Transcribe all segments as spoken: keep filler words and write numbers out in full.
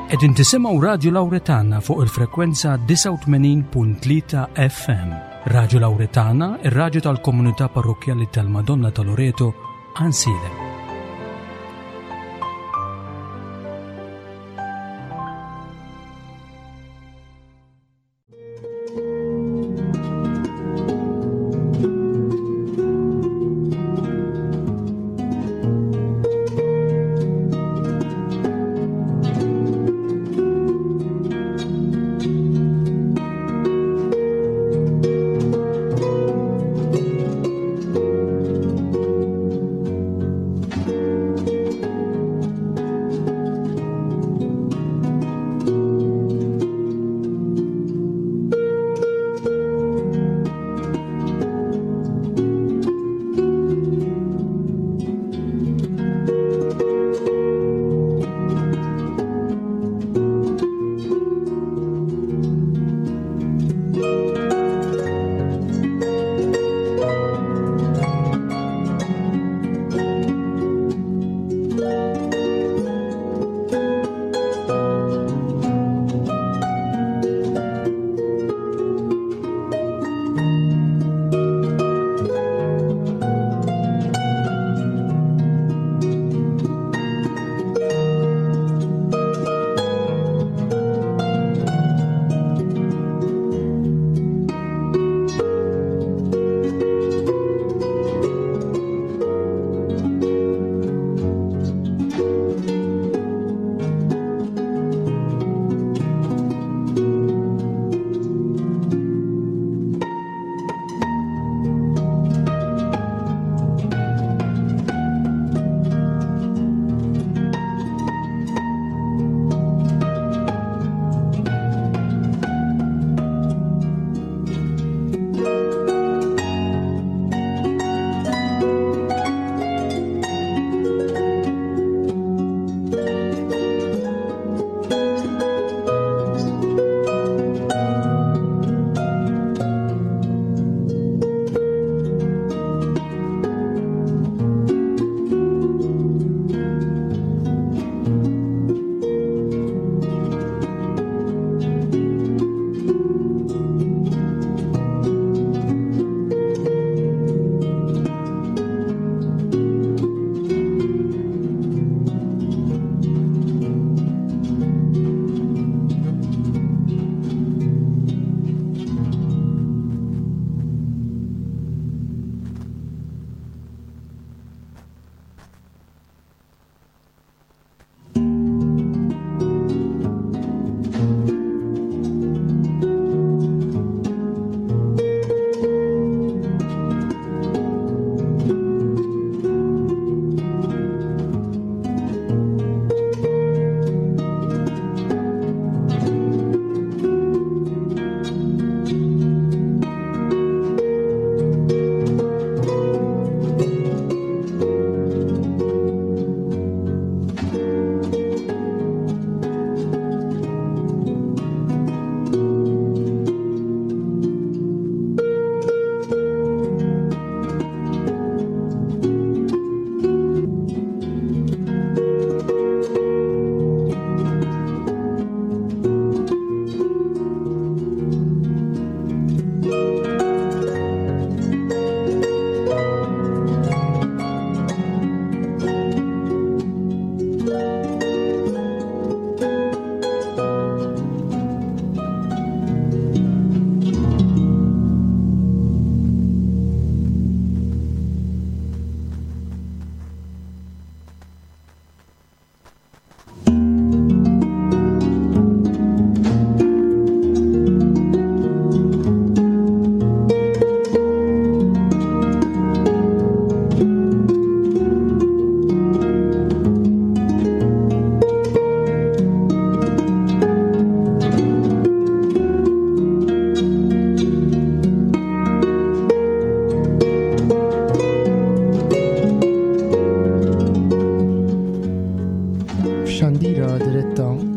Qegħdin tisimgħu Radju Lawretana fuq il-frekwenza disgħa u tmenin punt tlieta F M. Radju Lawretana, ir-radju tal-komunità parrokkjali tal-Madonna ta' Loreto, Għajnsielem.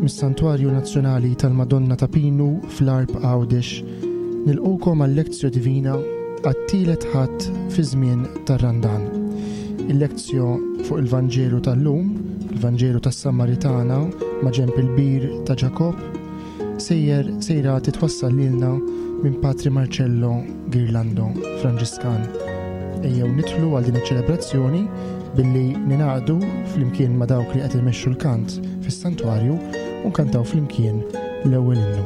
Mis-Santwarju Nazzjonali tal-Madonna ta' Pinu fl-Għarb Għawdex, nilqgħukom għal-Lectio Divina għat-tielet Ħadd fi żmien tar-Randan. Il-Lectio fuq il-Vanġelu tal-lum, il-Vanġelu tas-Samaritana maġenb il-bir ta' Ġakobb sejjer sejra titwassal lilna minn Patri Marcello Ghirlando Franġiskan. Ejjew nidħlu għal din iċ-ċelebrazzjoni billi ningħaqdu flimkien ma' dawk li qed imexxu l-kant fis-santwarju u nkantaw flimkien l-ewwel innu.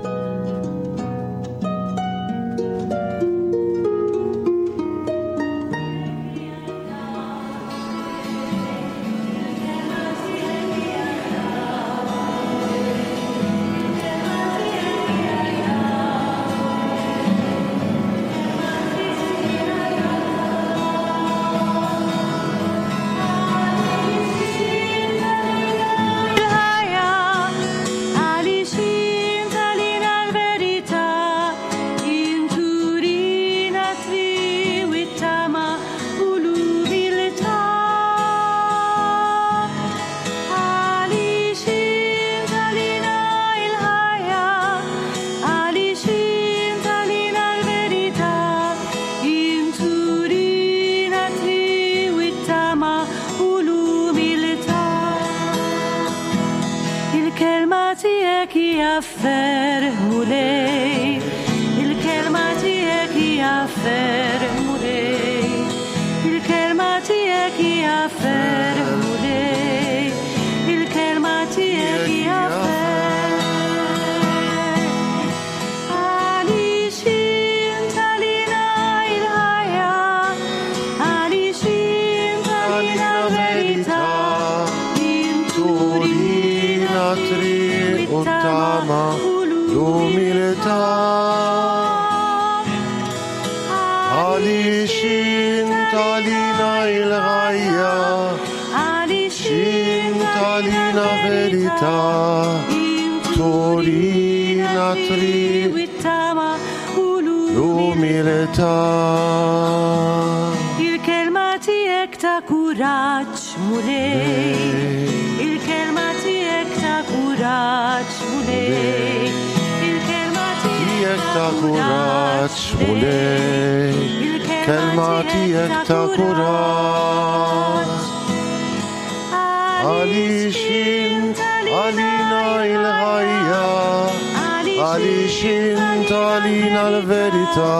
Il-ħajja għaliex int għalina l-verità, inturina triq u t-tama u l-umiltà. Għaliex int għalina l-ħajja, għaliex int għalina l-verità, inturina triq u t-tama u l-umiltà. Il-kelma tiegħek hija ferħ Mulej, il-kelma tiegħek hija ferħ Mulej, il-kelma tiegħek hija ferħ Mulej, il-kelma tiegħek hija ferħ. Għaliex int għalina l-ħajja, għaliex int għalina l-verità, Turina triq u tama l-umiltà. Għaliex int għalina il-ħajja, Għaliex int għalina verità, turina triq it-tama u l-umiltà. Il-kelma tiegħek ta' kuraġġ Mulej, il-kelma tiegħek ta' kuraġġ Mulej, il-kelma Tiegħek ta' kuraġġ Mulej, kelma tiegħek ta' kuraġġ. Għaliex int għalina il-ħajja, għaliex int għalina l-verità,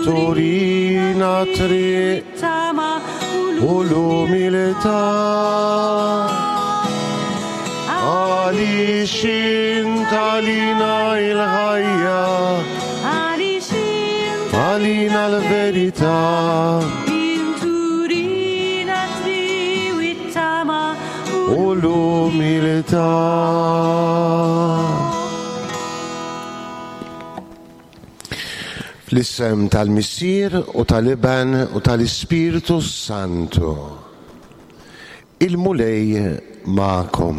turina triq tama u l-umiltà. Għaliex int għalina il-ħajja, Għaliex int għalina l-verità, inturina triq it-tama u l-umiltà. Fl-isem tal-Missier u tal-Iben u tal-Ispirtu Santu. Il-Mulej magħkom.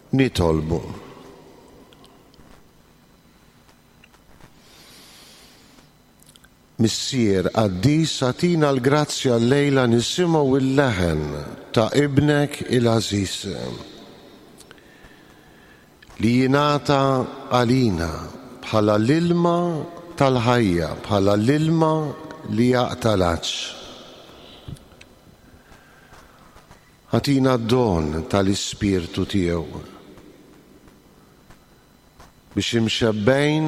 Nitolbu. Missier, qaddis, agħtina l-grazzja llejla nisimgħu il-leħen ta' ibnek il-għażiż li jingħata għalina bħala l-ilma tal-ħajja, bħala l-ilma li jaqta' l-għatx. Agħtina d-don tal-Ispirtu tiegħu biex imxebbejn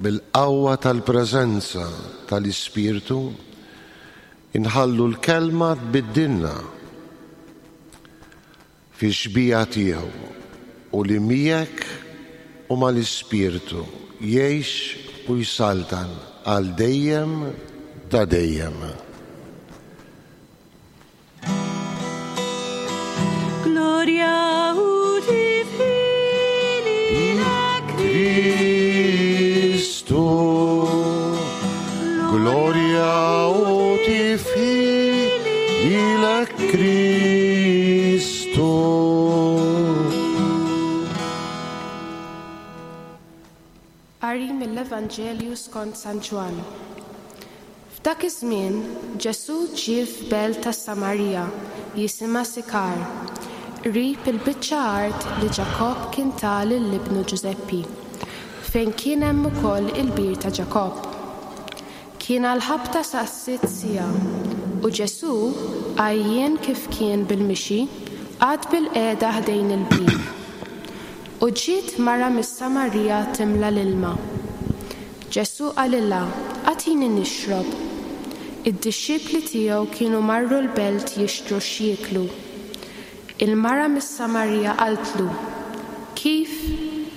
bil-qawwa tal-preżenza tal-Ispirtu inħallu l-kelma tbiddilna fi xbija tiegħu u li miegħek u mal-Ispirtu jgħix u jsaltan għal dejjem ta' dejjem. Gloria u tifħili Kristu, gloria u tifħir lilek Kristu. Qari mill-Evanġelju skont San Ġwann. F'dak iż-żmien Ġesù ġie f'belt tas-Samarija jisimha Sikar, qrib il-biċċa art li Ġakobb kien ta lil ibnu Ġużeppi, fejn kien hemm ukoll il-bir ta' Ġakobb. Kien għall-ħabta sa' sitt siegħa u Ġesù, għajjien kif kien bil-mixi, qagħad bilqiegħda ħdejn il-bir. U ġiet mara mis-Samarija timla l-ilma. Ġesù qalilha, "Agħtini nixrob." Id-dixxipli tiegħu kienu marru l-belt jixtru x'jieklu. Il-mara mis-Samarija qaltlu, "Kif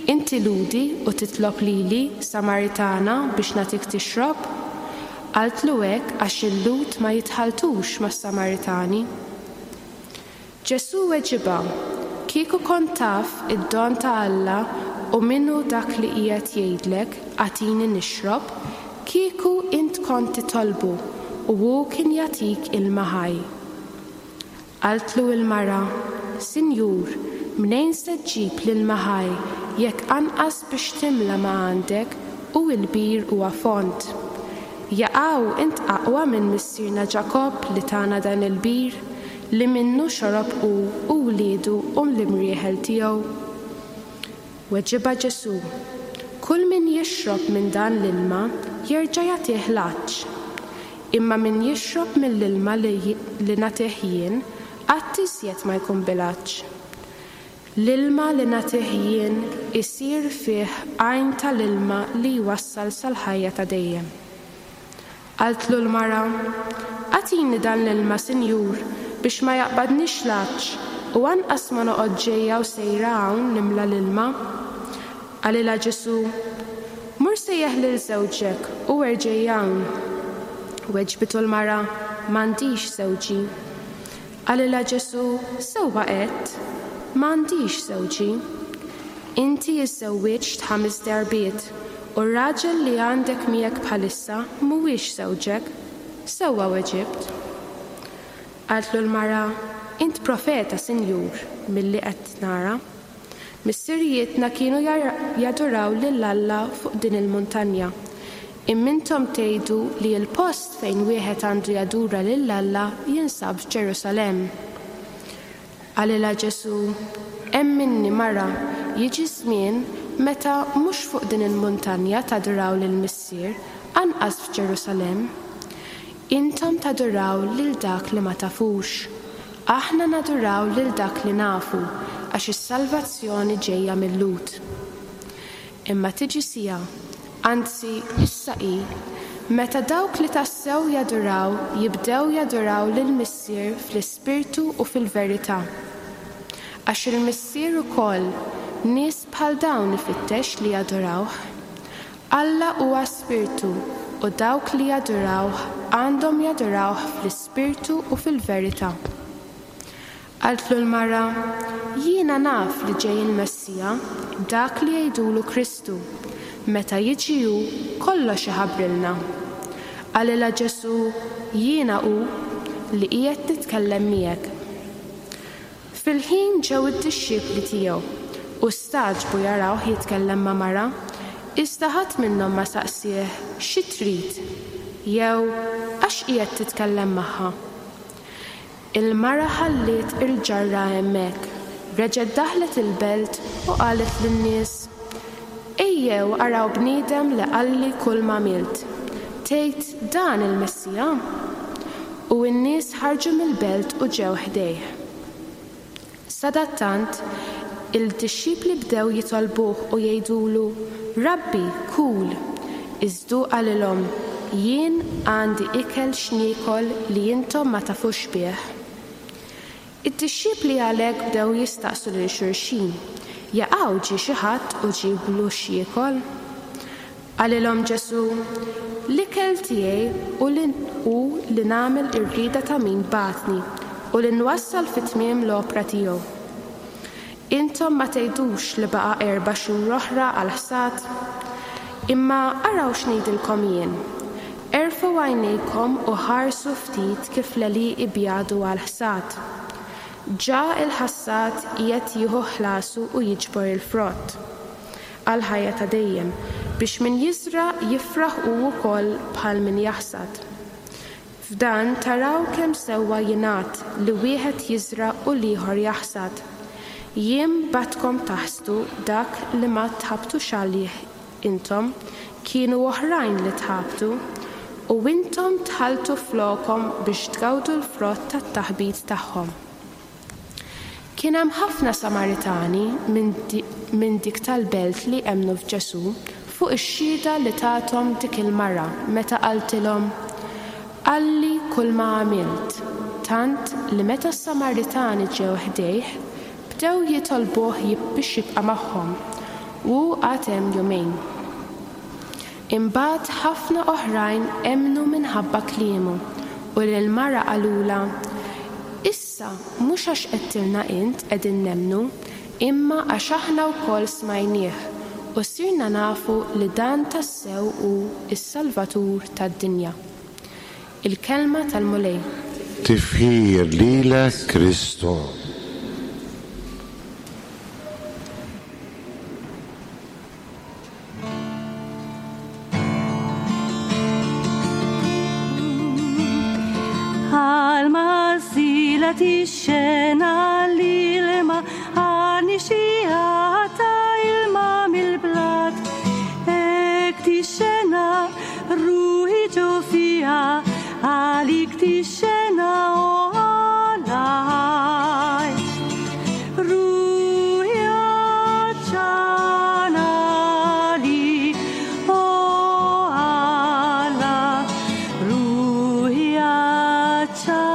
inti Lhudi u titlob lili, Samaritana, biex nagħtik tixrob?" Qaltlu hekk għax il-Lhud ma jitħalltux mas-Samaritani. Ġesù weġibha, "Kieku kont taf id-don ta' Alla u min hu dak li qiegħed jgħidlek, agħtini nixrob, kieku int kont titolbu u hu kien jagħtik ilma ħaj." Qaltlu il-mara, "Sinjur, mnejn se ġġib l-ilma ħaj jekk anqas biex timla ma għandek u l-bir huwa fond? Jaqaw int aqwa minn missierna Ġakobb li tana dan il-bir, li minnu xorob hu u wliedu u l-imrieħel tiegħu?" Weġibha Ġesù, "Kull min jixrob minn dan l-ilma jerġa' jagħtih l-għatx. Imma min jixrob mill-ilma li, li nagħtih jien, qatt iżjed ma jkun bil-għatx. L-ilma li nagħtih jien isir fih għajn tal-ilma li jwassal sal-ħajja ta' dejjem." Qaltlu l-mara, "Agħtini dan l-ilma, Sinjur, biex ma jaqbadnix l-għatx u anqas ma noqgħod ġejja u sejra hawn nimla l-ilma." Qalilha Ġesù, "Mur sejjaħ lil żewġek u erġa' hawn." Weġbitu l-mara, "M'għandix żewġi." Qalilha Ġesù, "Sewwa għedt, m'għandix żewġi. Inti iżżewwiġt ħames darbiet u r-raġel li għandek miegħek bħalissa mhuwiex żewġek. Sewwa weġibt." Qaltlu l-mara, "Int profeta, Sinjur, milli qed nara. Missirijietna kienu jaduraw lil Alla fuq din il-muntanja. Imma intom tgħidu li l-post fejn wieħed għandu jadura lil Alla jinsab f'Ġerusalemm." Qalilha Ġesù, "Emminni mara, jiġi żmien meta mhux fuq din il-muntanja taduraw lill-Missier, anqas f'Ġerusalemm. Intom taduraw lil dak li ma tafux. Aħna naduraw lil dak li nafu, għax is-salvazzjoni ġejja mil-Lhud. Imma tiġi siegħa, anzi issa hi, meta dawk li tassew jaduraw jibdew jaduraw lill-Missier fl-ispirtu u fil-verità. Għax il-Missier ukoll nies bħal dawn ifittex li jadurawh. Alla huwa spirtu u dawk li jadurawh għandhom jadurawh fl-ispirtu u fil-verità. Qaltlu l-mara, "Jiena naf li ġej il-Messija, dak li jgħidulu Kristu. Meta jiġi hu, kollox iħabbrilna." Qalilha Ġesù, "Jiena hu li qiegħed nitkellem miegħek." Fil-ħin ġew id-dixxipli tiegħu u stagħġbu jarawh jitkellem ma' mara, iżda ħadd minnhom ma saqsieh xi trid jew għax qiegħed titkellem magħha. Il-mara ħalliet il-ġarra hemmhekk, reġgħet daħlet il-belt u qalet lin-nies, "Ejjew araw bniedem li qalli kull ma għamilt. Tgħid dan il-Messija?" U n-nies ħarġu mill-belt u ġew ħdejh. Sadattant, il-dixxipli bdew jitolbuh u jgħidulu, "Rabbi, kul." Iżda hu qalilhom, "Jien għandi ikel x'niekol li intom ma tafux bih." Id-dixxipli għalhekk bdew jistaqsu lil xulxin, "Jaqaw ġie xi ħadd u ġieblu x'jiekol?" Qalilhom Ġesù, "L-ikel tiegħi hu li hu li nagħmel ir-rieda ta' min bagħatni u li nwassal fit-tmiem l-opra tiegħu. Intom ma tgħidux li baqa' erba' xhur oħra għall-ħsad? Imma araw x'ngħidilkom jien. Erfgħu għajnejkom u ħarsu ftit kif l-għelieqi bjadu għall-ħsad. Ġa il-ħassad qiegħed jieħu ħlasu u jiġbor il-frott għal ħajja ta' dejjem, biex min jiżra' jifraħ hu wkoll bħal min jaħsad. F'dan taraw kemm sewwa jingħad li wieħed jiżra' u l-ieħor jaħsad. Jien bgħattkom taħsdu dak li ma tħabtux għalih intom, kienu oħrajn li tħabtu, u intom dħaltu flokhom biex tgawdu l-frott tat-taħbit tagħhom. Kien hemm ħafna Samaritani minn dik tal-belt li emmnu f'Ġesù fuq ix-xhieda li tathom dik il-mara meta qaltilhom, "Qalli kull ma għamilt," tant li meta s-Samaritani ġew ħdejh, bdew jitolbuh biex jibqa' magħhom, u qagħad hemm jumejn. Imbagħad ħafna oħrajn emmnu minħabba kliemu, u lill-mara qalulha, "Issa mhux għax għedtilna int qegħdin nemmnu, imma għax aħna wkoll smajnieh u sirna nafu li dan tassew hu s-Salvatur tad-dinja." Il-kelma tal-Mulej. Tifħir lilek, Kristu. Tixxena l-ilma għani xijata ilma mill-blat. Ek tixxena ruħi ġo fija, għalik tixxena o għalaj. Ruħi għadċana li, o għala, ruħi għadċana.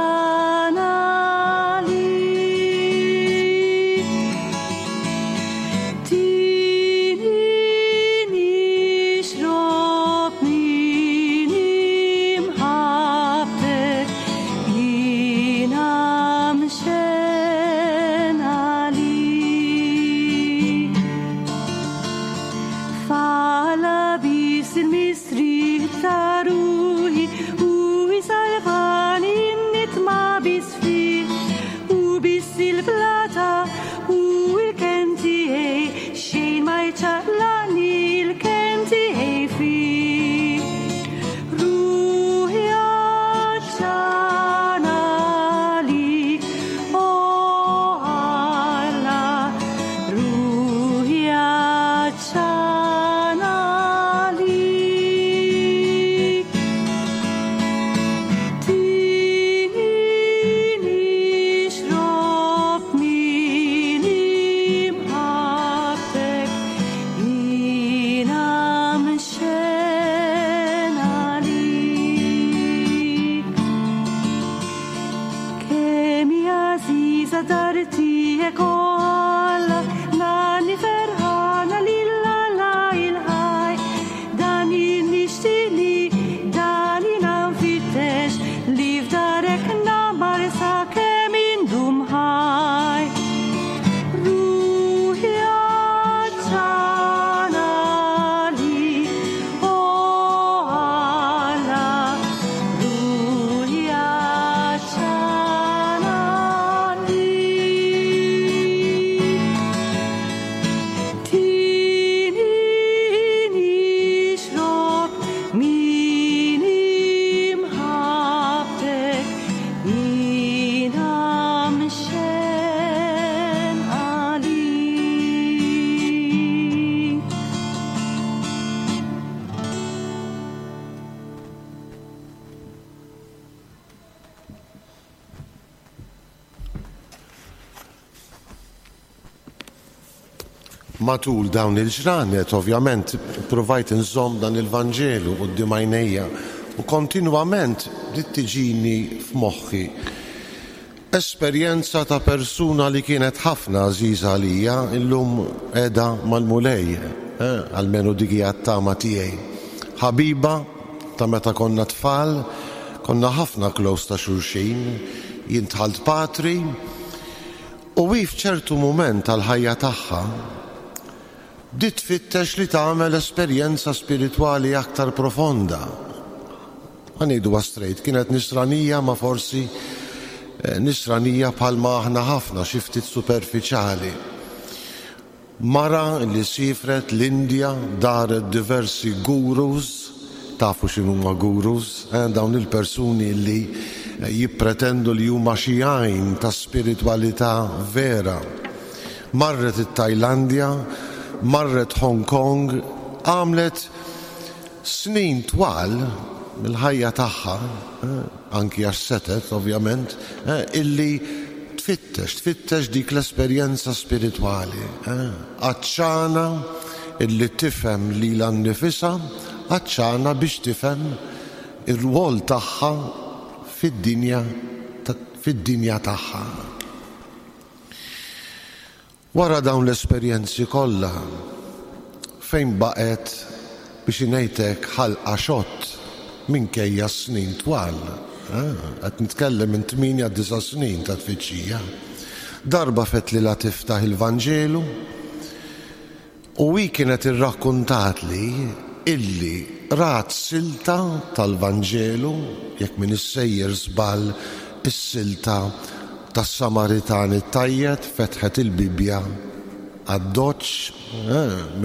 Matul dawn il-ġranet, ovvjament, provajt nżomm dan il-Vanġelu quddiem għajnejja u kontinwament bdiet tiġini f'moħħi esperjenza ta' persuna li kienet ħafna għażiża għalija, illum qiegħda mal-Mulej, eh, almenu dik hija t-tama tiegħi. Ħabiba ta' meta konna tfal, konna ħafna close ta' xulxin, jien dħalt patri, u hi f'ċertu mument tal-ħajja tagħha bdiet tfittex li tagħmel esperjenza spiritwali aktar profonda. Ħa ngħidu straight, kienet nisranija ma forsi nisranija bħalma aħna ħafna xi ftit superfiċjali. Mara li sifret l-Indja, daret diversi gurus, tafu x'inhuma gurus, eh, dawn il-persuni li jippretendu li huma xi għajn ta' spiritwalità vera. Marret it-Tajlandja, marret Hong Kong, għamlet snin twal mill-ħajja tagħha, eh, anki għax setet ovvjament, eh, illi tfittex Tfittex, tfittex dik l-esperjenza spiritwali. Għatxana illi tifhem lilha nnifisha, għatxana biex tifhem ir-rwol tagħha fid-dinja fid-dinja tagħha. Wara dawn l-esperjenzi kollha, fejn baqgħet biex ngħidlek ħalqha xott minkejja snin twal. Qed nitkellem minn tmienja disa' snin ta' tfittxija. Darba fettlilha tiftaħ il-Vanġelu u hi kienet irrakkuntatli illi rat silta tal-Vanġelu, jekk m'iniex sejjer żball is-silta tas-Samaritan it-tajjeb, fetħet il-Bibbja għad-doċ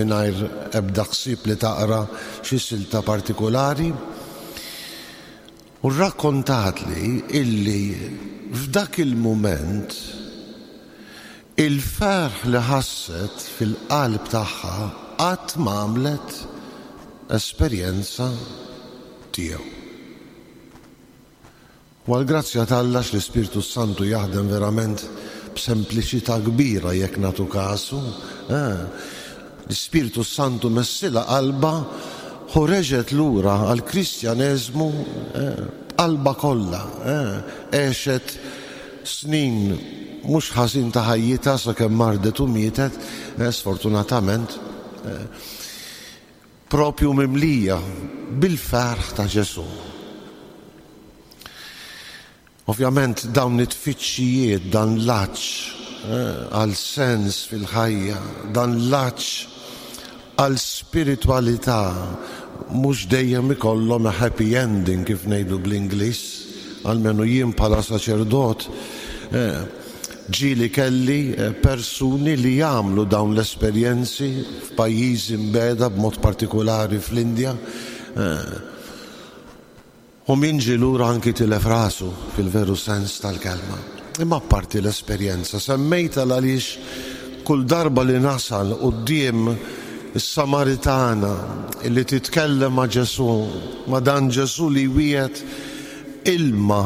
mingħajr ebda ħsieb li taqra xi silta partikolari. U rrakkontatli illi f'dak il-mument il-ferħ li ħasset fil-qalb tagħha qatt ma għamlet esperjenza tiegħu. U għall-grazzja t'Alla l-Ispirtu Santu jaħdem verament b'sempliċità kbira jekk nagħtu kasu. L-Ispirtu Santu messilha qalbha u reġgħet lura għall-Kristjaneżmu b'qalbha kollha. Għexet snin mhux ħażin ta' ħajjitha sakemm mardet u mietet, sfortunatament, propju mimlija bil-ferħ ta' Ġesù. Ovvjament dawn it-tfittxijiet, dan l-għatx għal sens fil-ħajja, dan l-għatx għal spiritwalità, mhux dejjem ikollhom a happy ending kif ngħidu bl-Ingliż, almenu jien bħala saċerdot ġieli kelli persuni li jagħmlu dawn l-esperjenzi f'pajjiżi mbiegħda b'mod partikolari fl-Indja. U min ġie lura anki tilef rasu fil-veru sens tal-kelma. Imma apparti l-esperjenza, semmejta għaliex kull darba li nasal quddiem is-Samaritana li titkellem ma' Ġesù, ma' dan Ġesù li wiegħed ilma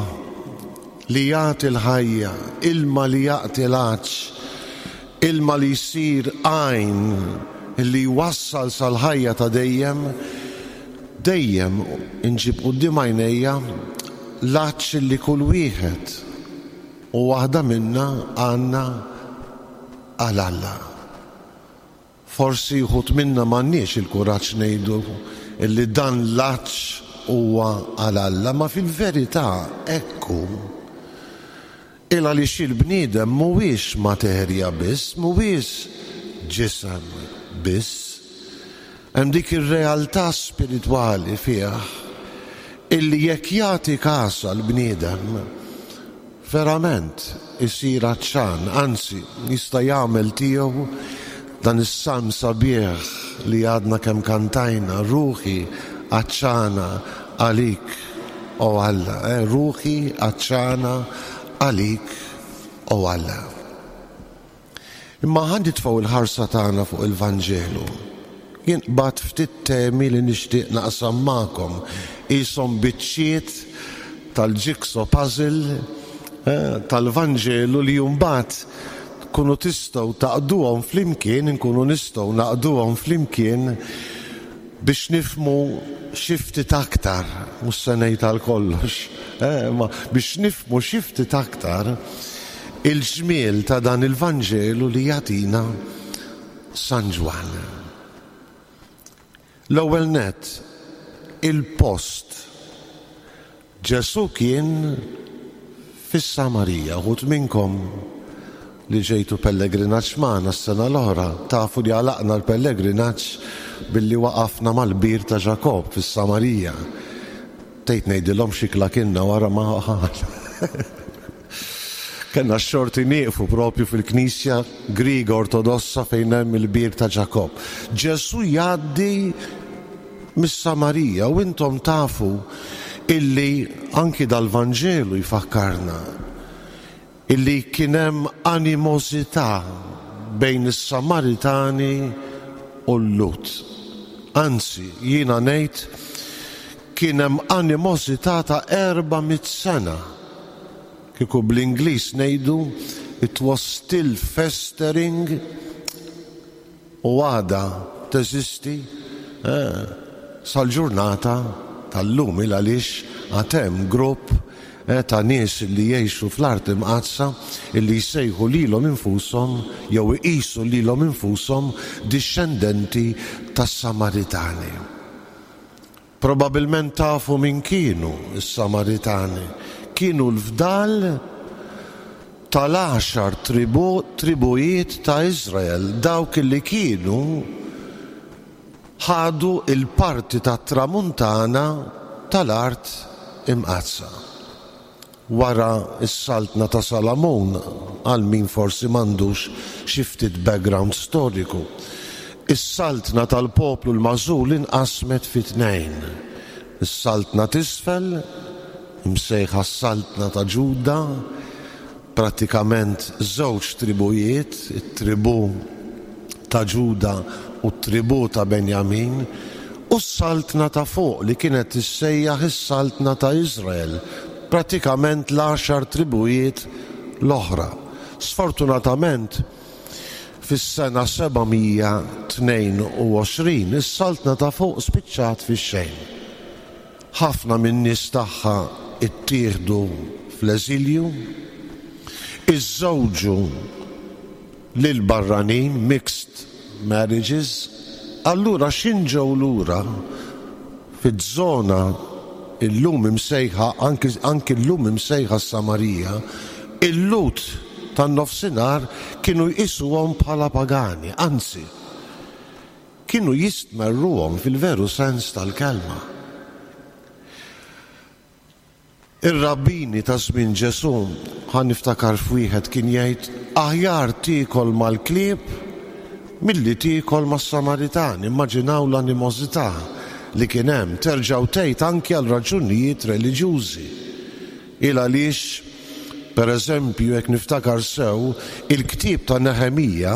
li jagħti l-ħajja, ilma li jagħti l-għatx, ilma li jsir għajn li jwassal sal-ħajja ta' dejjem, dejjem inġib quddiem għajnejja l-għatx li kull wieħed u waħda minna għandna għal Alla. Forsi wħud minna m'għandniex il-kuraġġ ngħidu illi dan l-għatx huwa għal Alla, ma fil-verità hekk hu. Il għaliex il-bniedem mhuwiex materja biss, mhuwiex ġisem biss. Hemm dik ir-realtà spiritwali fih illi jekk jagħti każ għall-bniedem verament isir għatxan, anzi jista' jagħmel tiegħu dan is-salm sabiħ li għadna kemm kantajna, ruħi għatxana għalik, o Alla, eh, ruħi għatxana għalik, o Alla. Imma ħa nitfgħu il-ħarsa tagħna fuq il-Vanġelu. Jien qbadt ftit temi li nixtieq naqsam magħkom, qishom biċċiet tal-jigsaw puzzle eh, tal-Vanġelu li mbagħad tkunu tistgħu tgħaqqduhom flimkien, inkunu nistgħu ngħaqqduhom flimkien biex nifhmu xi ftit aktar, mhux se ngħid għal kollox, eh, ma biex nifhmu xi ftit aktar il-ġmiel ta' dan il-Vanġelu li jagħtina San Ġwann. L-ewwel nett, il-post. Ġesù kien fis-Samarija. Uħud minnkom li ġejtu pellegrinaġġ magħna s-sena l-oħra, tafu li għalaqna l-pellegrinaġġ billi waqafna mal-bir ta' Ġakob fis-Samarija. Tgħid ngħidilhom x'ikla kilna wara ma Kellna x-xorti nieqfu propju fil-Knisja Griega Ortodossa fejn hemm il-bir ta' Ġakob. Ġesù jgħaddi mis-Samarija u intom tafu illi anki dal-Vanġelu jfakkarna illi kien hemm animosità bejn is-Samaritani u l-Lhud. Anzi, jiena ngħid kien hemm animosità ta' erba' mitt sena. Kieku bl-Ingliż ngħidu It was still festering u għadha teżisti eh, sal-ġurnata tal-lum, il għaliex għad hemm grupp eh, ta' nies li jgħixu fl-Art Imqaddsa illi jsejħu lilhom infushom jew iqisu lilhom infushom dixxendenti tas-Samaritani. Probabilment tafu min kienu s-Samaritani. Kienu l-fdal tal-għaxar tribu, tribujiet ta' Izrael, dawk li kienu ħadu il-parti tat-tramuntana tal-Art Imqaddsa. Wara s-saltna ta' Salamun, għal min forsi m'għandux xi ftit background storiku, is-saltna tal-poplu l-magħżul inqasmet fi tnejn. Is-saltna t'isfel, imsejħa s-saltna ta' Ġuda, pratikament żewġ tribujiet, it-tribu ta' Ġuda u t-tribu ta' Benjamin, u s-saltna ta' fuq li kienet tissejjaħ is-saltna ta' Izrael, pratikament l-għaxar tribujiet l-oħra. Sfortunatament, fis-sena seba' mija tnejn u għoxrin is-saltna ta' fuq spiċċat fix-xejn. Ħafna min-nies tagħha ittieħdu fl-eżilju, iżżewġu lil barranin, mixed marriages, allura x'ħin ġew lura fiż-żona illum imsejħa, anki, anki llum imsejħa Samarija, il-Lhud tan-nofsinhar kienu jqisuhom bħala pagani, anzi, kienu jistmerruhom fil-veru sens tal-kelma. Ir-rabbini ta' żmien Ġesù, ħa niftakar f'wieħed kien jgħid, "Aħjar tiekol mal-klieb milli tiekol mas-Samaritani." Immaġinaw l-animożità li kien hemm, terġgħu tgħid anki għal raġunijiet reliġjużi. Il għaliex, per eżempju, jekk niftakar sew, il-ktieb ta' Neħemija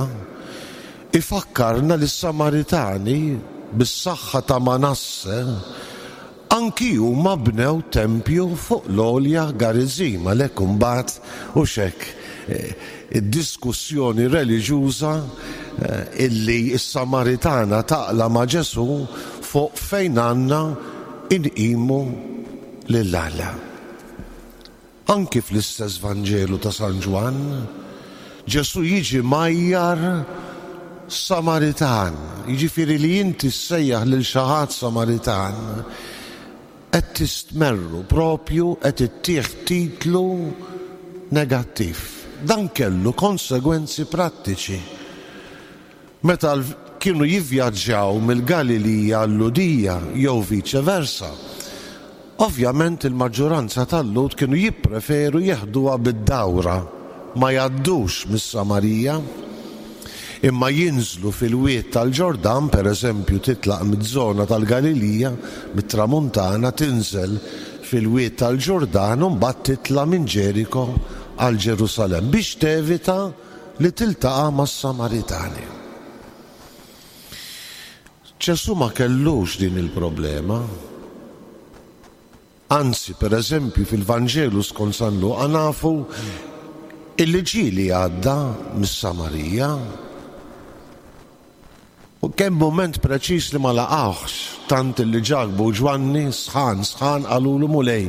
ifakkarna li s-Samaritani bis-saħħa ta' Manasse anki huma bnew tempju fuq l-għolja Garizim, għalhekk imbagħad u xek eh, id-diskussjoni reliġjuża eh, illi s-Samaritana taqla' ma' Ġesù fuq fejn għandna inqimu lil Alla. Anki fl-istess Vanġelu ta' San Ġwann, Ġesù jiġi mgħajjar Samaritan, jiġifieri li inti ssejjaħ lil xi ħadd Samaritan, qed tistmerru propju, qed ittih titlu negattiv. Dan kellu konsegwenzi prattiċi. Meta kienu jivvjaġġaw mill-Galilija għal-Lhudija jew vice versa, ovvjament il-maġġoranza tal-Lhud kienu jippreferu jeħduha bid-dawra, ma jgħaddux mis-Samarija, imma jinżlu fil-wied tal-Ġordan, per eżempju titlaq mid-żona tal-Galilija, mit-Tramuntana, tinżel fil-wied tal-Ġordan u mbagħad titla' minn Ġeriko għal Ġerusalem biex tevita li tiltaqa' mas-Samaritani. Ġesù ma kellux din il-problema. Anzi, per eżempju, fil-Vanġelu skont San Luqa nafu illi ġieli għadda mis-Samarija. U kemm moment preċis li ma laqawx, tant li Ġakbu u Ġwanni sħan, sħan qalulu, "Mulej,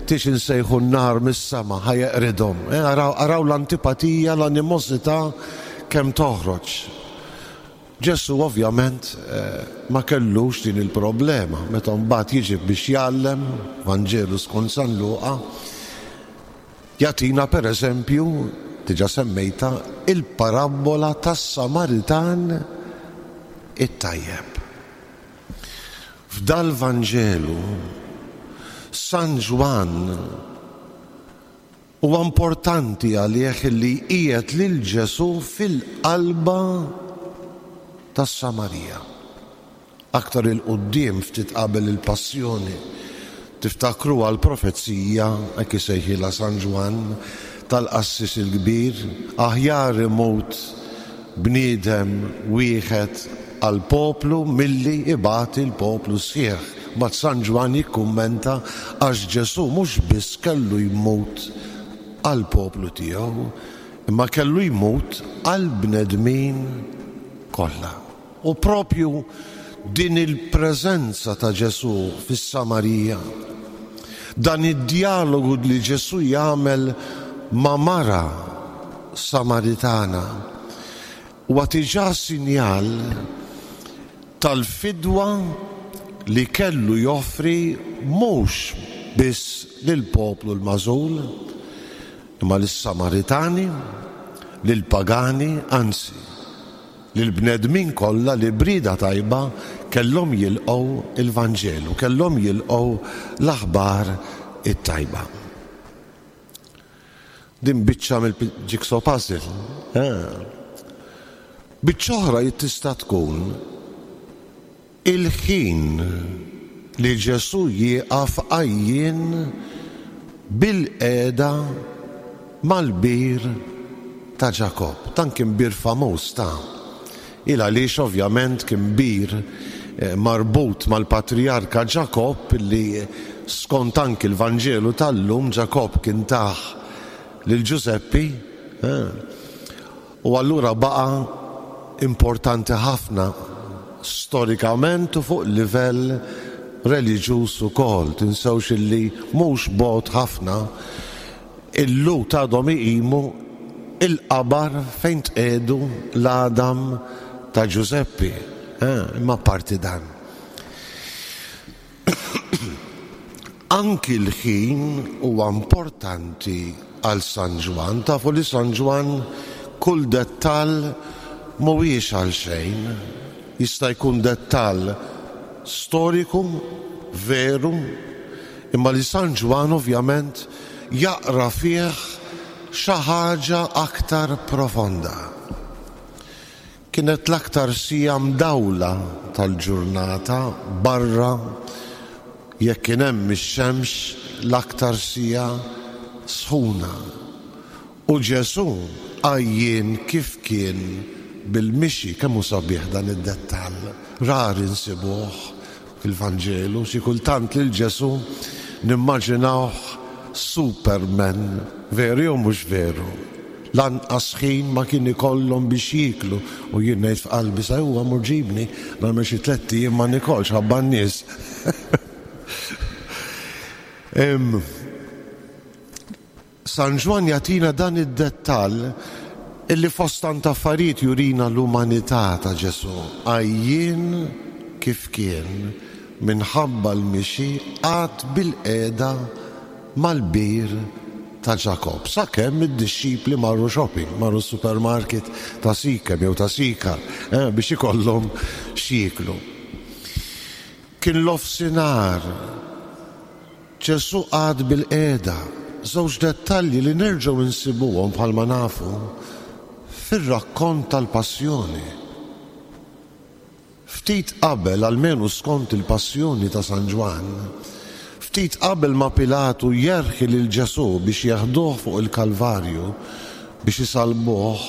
tix insejħu n-nar mis-sema ħa jeqridhom?" Eh, araw l-antipatija, l-animosità kemm toħroġ. Ġesù ovvjament eh, ma kellux din il-problema. Meta mbagħad jiġi biex jgħallem, Vanġelu skont San Luqa, jagħtina per eżempju, diġà semmejta, il-parabola tas-Samaritan it-tajjeb. F'dal-Vanġelu, San Ġwann huwa importanti għalih li qiegħed lil Ġesù fil-qalba tas-Samarija. Aktar 'il quddiem, ftit qabel il-passjoni, tiftakru għal-profezija, hekk isejħilha San Ġwann, tal-qassis il-kbir, "Aħjar imut bniedem wieħed għal-poplu milli ibati l-poplu sħiħ." Ma San Ġwann jikkummenta għax Ġesù mhux biss kellu jmut għal-poplu tiegħu, imma kellu jmut għall-bnedmin kollha. U propju din il-preżenza ta' Ġesù fis-Samarija, dan id-dialogu li Ġesù jagħmel ma' mara Samaritana, huwa diġà sinjal tal-fidwa li kellu joffri mhux biss lill-poplu l-magħżul, imma lis-Samaritani, lill-pagani, anzi, lill-bnedmin kollha li b'rieda tajba kellhom jilqgħu il-Vanġelu, kellhom jilqgħu l-aħbar it-tajba. Din biċċa mill-jigsaw puzzle. Biċċa oħra tista' tkun il-ħin li Ġesù jieqaf għajjien bil-qiegħda mal-bir ta' Ġakobb. Dan kien bir famuż ta' il għaliex ovvjament kien bir marbut mal-patrijarka Ġakobb li skont anki l-Vanġelu tal-lum Ġakobb kien tah lil Ġużeppi, u allura baqa' importanti ħafna storikament u fuq livell reliġjuż ukoll. Tinsewx illi mhux bogħod ħafna il-Lhud għadhom iqimu il-qabar fejn tqiegħdu l-għadam ta' Ġużeppi, imma parti dan. Anki l-ħin huwa importanti għal San Ġwann. Tafu li San Ġwann kull dettall mhuwiex għal xejn. Jista' jkun dettall storiku, veru, imma li San Ġwann ovvjament jaqra fih xi ħaġa aktar profonda. Kienet l-aktar sija mdawla tal-ġurnata barra jekk kien hemm ix-xemx l-aktar sija sħuna. U Ġesù għajjien kif kien bil-mixi, kemm hu sabiħ dan id-dettall, rari nsibuh fil-Vanġelu, xi kultant lil Ġesù nimmaġinawh Superman, veru jew mhux veru. Lanqas ħin ma kien ikollhom biex jieklu, u jien ngħid f'qalbi sa huwa mur ġibni nagħmel xi tlett ijiem ma nikolx ħabba n-nies. San Ġwann jagħtina dan id-dettall illi fost tant affarijiet jurina l-umanità ta' Ġesù. Għajjien kif kien minħabba l-mixi qagħad bil-qiegħda mal-bir ta' Ġakobb. Sakemm id-dixxipli marru shopping, marru supermarket ta' Sikem jew ta' Sikar eh, biex ikollhom x'jieklu. Kien l-ofsinhar, Ġesù qagħad bil-qiegħda. Żewġ dettalji li nerġgħu nsibuhom bħalma nafu fir-rakkont tal-Passjoni. Ftit qabel, almenu skont il-Passjoni ta' San Ġwann, ftit qabel ma Pilatu jerħi lil Ġesù biex jeħduh fuq il-Kalvarju biex isalbuh,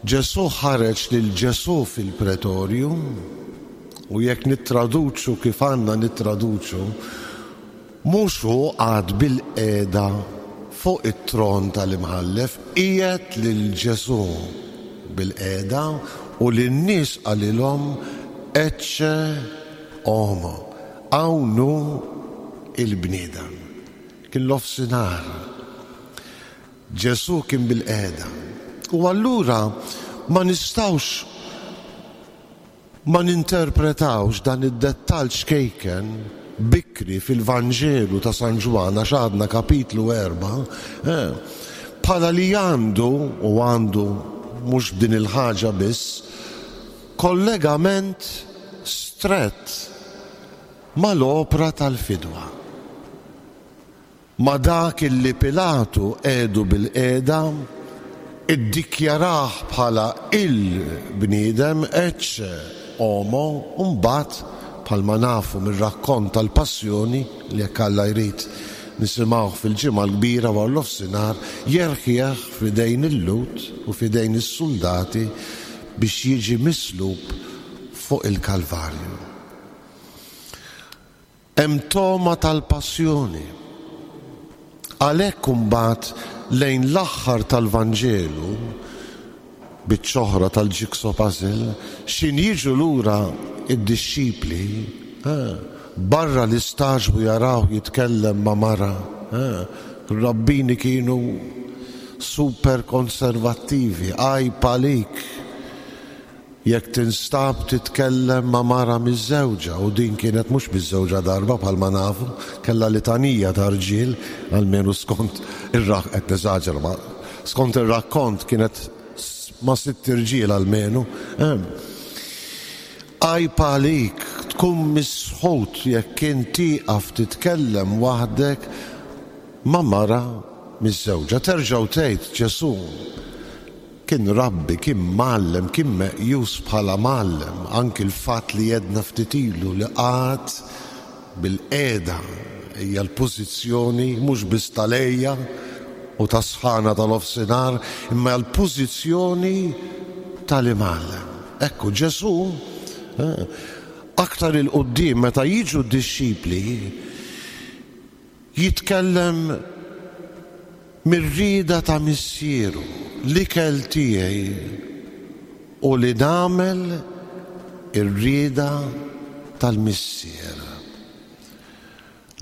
Ġesù ħareġ lil Ġesù fil-pretorju, u jekk nittraduċu kif għandna nittraduċu, mhux hu qagħad bil-qiegħda fuq it-tron tal-imħallef, qiegħed lil Ġesù bil-qiegħda u lin-nies qalilhom ecce homo, hawn hu il-bniedem. Kien l-ofsinhar. Ġesù kien bil-qiegħda. U allura ma nistgħux ma ninterpretawx dan id-dettall xkejken bikri fil-Vanġelu ta' San Ġwann, għax għadna kapitlu erba', bħala li għandu, u għandu mhux b'din il-ħaġa biss, kollegament strett mal-opra tal-fidwa. Ma dak illi Pilatu qiegħdu bil-qiegħda, iddikjarah bħala il-bniedem ecce homo, u mbagħad bħalma nafu mir-rakkont tal-Passjoni li jekk Alla jrid nisimgħuh fil-ġimgħa l-kbira wara l-ofsinhar, jerħieħ f'idejn il-Lhud u f'idejn is-soldati biex jiġi mislub fuq il-Kalvarju. Hemm toma tal-Passjoni. Għalhekk imbagħad lejn l-aħħar tal-Vanġelu, biċċa oħra tal-jigsaw puzzle, x'ħin jiġu lura id-dixxipli, eh, barra l-istaġbu jaraw jitkellem ma' mara. Eh, rabbini kienu super konservattivi, għajb għalik jekk tinstab titkellem ma' mara miżżewġa, u din kienet mhux miżżewġa darba bħalma nafu, kellha litanija ta' rġiel, almenu skont ir-rak qed neżaġera, ma skont ir-rakkont kienet ma' sitt irġiel almenu. Għajb għalik tkun misħut jekk int tieqaf titkellem waħdek ma' mara miżżewġa. Terġgħu tgħid Ġesù kien rabbi, kien mgħallem, kien meqjus bħala mgħallem, anki l-fatt li jedna ftit ilu li qagħad bil-qiegħda hija l-pożizzjoni mhux biss tal-ejja u tas-sħana tal-ofsinhar, imma l-pożizzjoni tal-imgħallem. Ekku Ġesù eh, aktar il-quddiem meta jiġu d-dixxipli jitkellem mir-rieda ta' missieru, l-ikel tiegħi u li nagħmel ir-rieda tal-missier.